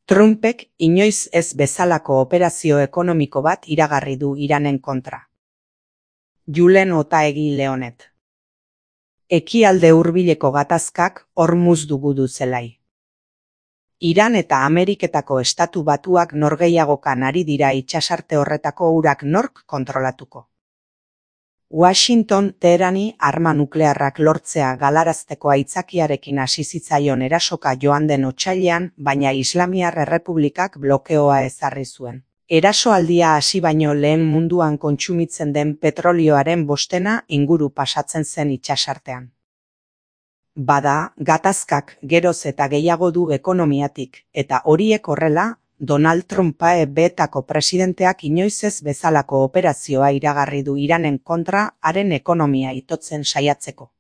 Trumpek inoiz ez bezalako operazio ekonomiko bat iragarri du Iranen kontra. Julen Otaegi Leonet. Ekialde hurbileko gatazkak Hormuz du zelai. Iran eta Ameriketako Estatu Batuak norgehiagokan ari dira itsasarte horretako urak nork kontrolatuko. Washington Teherani arma nuklearrak lortzea galarazteko aitzakiarekin hasi zitzaion erasoka joan den otsailean, baina Islamiar Errepublikak blokeoa ezarri zuen. Erasoaldia hasi baino lehen munduan kontsumitzen den petrolioaren 5% inguru pasatzen zen itsasartean. Bada, gatazkak geroz eta gehiago du ekonomiatik, eta horiek horrela, Donald Trump betako presidenteak inoiz ez bezalako operazioa iragarri du Iranen kontra haren ekonomia itotzen saiatzeko.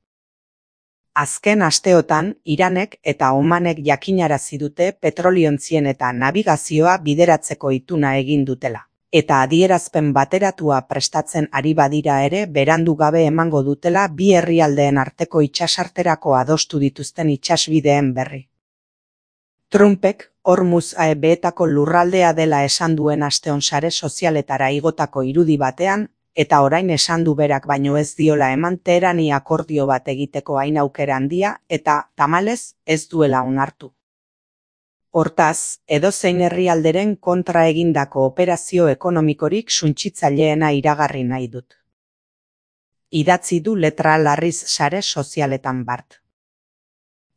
Azken asteotan, Iranek eta Omanek jakinarazi dute petroliontzien eta nabigazioa bideratzeko ituna egin dutela. Eta adierazpen bateratua prestatzen ari badira ere berandu gabe emango dutela bi herrialdeen arteko itsasarterako adostu dituzten itsasbideen berri. Trumpek Hormuz betako lurraldea dela esan duen asteon sare sozialetara igotako irudi batean, eta orain esan du berak baino ez diola eman Teherani akordio bat egiteko hain aukera handia eta tamalez ez duela onartu. Hortaz, edozein herrialderen kontra egindako operazio ekonomikorik suntsitzaileena iragarri nahi dut. Idatzi du letra larriz sare sozialetan bart.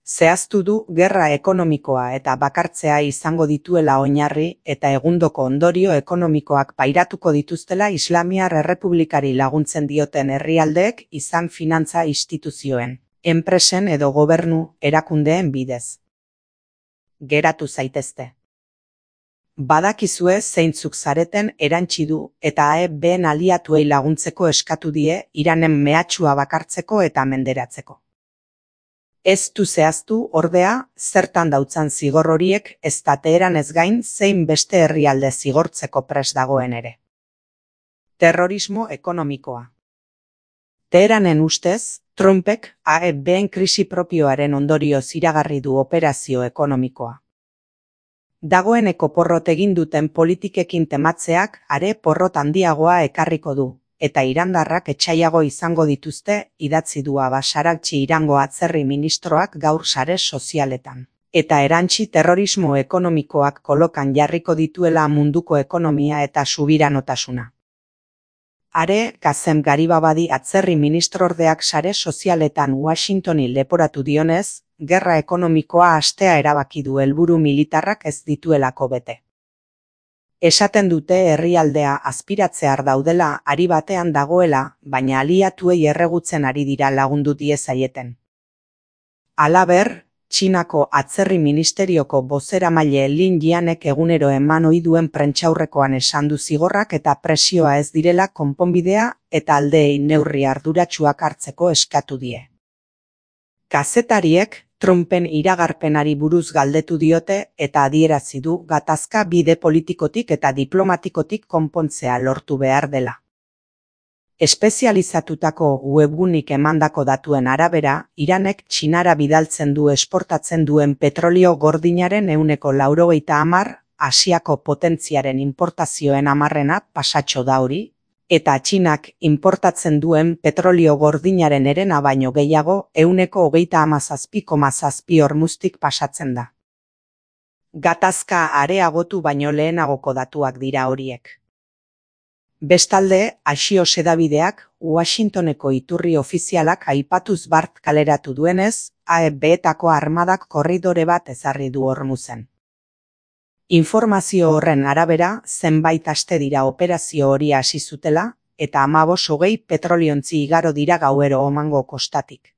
Zehaztu du gerra ekonomikoa eta bakartzea izango dituela oinarri eta egundoko ondorio ekonomikoak pairatuko dituztela Islamiar Errepublikari laguntzen dioten herrialdeek izan finantza instituzioen, enpresen edo gobernu erakundeen bidez. Geratu zaitezte. Badakizue zeintzuk zareten erantsi du eta AEB-en aliatuei laguntzeko eskatu die Iranen mehatxua bakartzeko eta menderatzeko. Ez du zehaztu, ordea, zertan dautzan zigor horiek ez da Teheranez gain zein beste herrialde zigortzeko prest dagoen ere. Terrorismo ekonomikoa. Teheranen ustez, Trumpek AEB-en krisi propioaren ondorioz iragarri du operazio ekonomikoa. Dagoeneko porrot egin duten politikekin tematzeak are porrot handiagoa ekarriko du. Eta irandarrak etsaiago izango dituzte, idatzi du Abbas Araghchi Irango atzerri ministroak gaur sare sozialetan. Eta erantsi terrorismo ekonomikoak kolokan jarriko dituela munduko ekonomia eta subiranotasuna. Are, Kazem Garibabadi atzerri ministrordeak sare sozialetan Washingtoni leporatu dionez, gerra ekonomikoa hastea erabaki du helburu militarrak ez dituelako bete. Esaten dute herrialdea azpiratzear daudela ari batean dagoela, baina aliatuei erregutzen ari dira lagundu diezaieten. Halaber, Txinako atzerri ministerioko bozeramaile Lin Jianek egunero eman ohi duen prentsaurrekoan esan du zigorrak eta presioa ez direla konponbidea eta aldeei neurri arduratsuak hartzeko eskatu die. Kazetariek Trumpen iragarpenari buruz galdetu diote eta adierazi du gatazka bide politikotik eta diplomatikotik konpontzea lortu behar dela. Espezializatutako webgunik emandako datuen arabera, Iranek Txinara bidaltzen du esportatzen duen petrolio gordinaren 90%, Asiako potentziaren importazioen 10% pasatxo da hori, eta Txinak importatzen duen petrolio gordinaren herena baino gehiago 37,7% Hormuztik pasatzen da. Gatazka areagotu baino lehenagoko datuak dira horiek. Bestalde, Axios hedabideak Washingtoneko iturri ofizialak aipatuz bart kaleratu duenez, AEB-etako armadak korridore bat ezarri du Hormuzen. Informazio horren arabera, zenbait aste dira operazio hori hasi zutela, eta 15-20 petroliontzi igaro dira gauero Omango kostatik.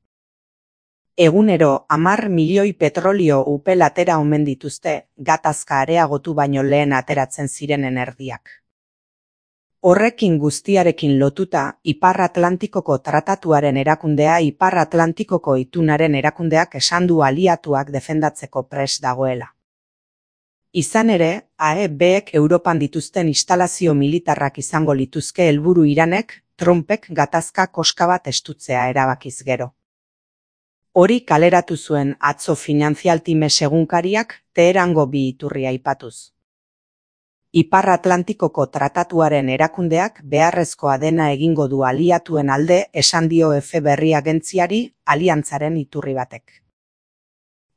Egunero 10 milioi petrolio upel atera omen dituzte, gatazka areagotu baino lehen ateratzen zirenen erdiak. Horrekin guztiarekin lotuta, Ipar Atlantikoko Tratatuaren erakundea Ipar Atlantikoko itunaren erakundeak esan du aliatuak defendatzeko prest dagoela. Izan ere, AEB-ek Europan dituzten instalazio militarrak izango lituzke helburu Iranek, Trumpek gatazka koska bat estutzea erabakiz gero. Hori kaleratu zuen atzo Finanzialtimes egunkariak Teherango bi iturri aipatuz. Ipar Atlantikoko tratatuaren erakundeak beharrezkoa dena egingo du aliatuen alde esan dio FBI agentziari aliantzaren iturri batek.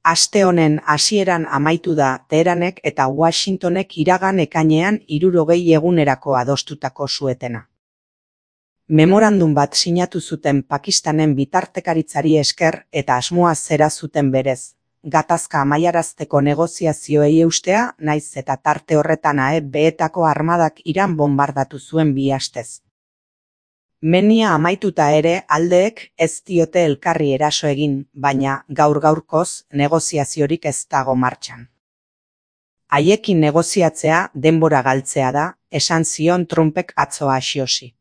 Aste honen hasieran amaitu da Teheranek eta Washingtonek iragan ekainean 60 egunerako adostutako suetena. Memorandum bat sinatu zuten Pakistanen bitartekaritzari esker eta asmoa zera zuten berez. Gatazka amaiarazteko negoziazioei eustea, naiz eta tarte horretan AEB-etako armadak Iran bombardatu zuen 2 astez. Menia amaituta ere aldeek ez diote elkarri eraso egin, baina gaur-gaurkoz negoziaziorik ez dago martxan. Haiekin negoziatzea denbora galtzea da, esan zion Trumpek atzo Axiosi.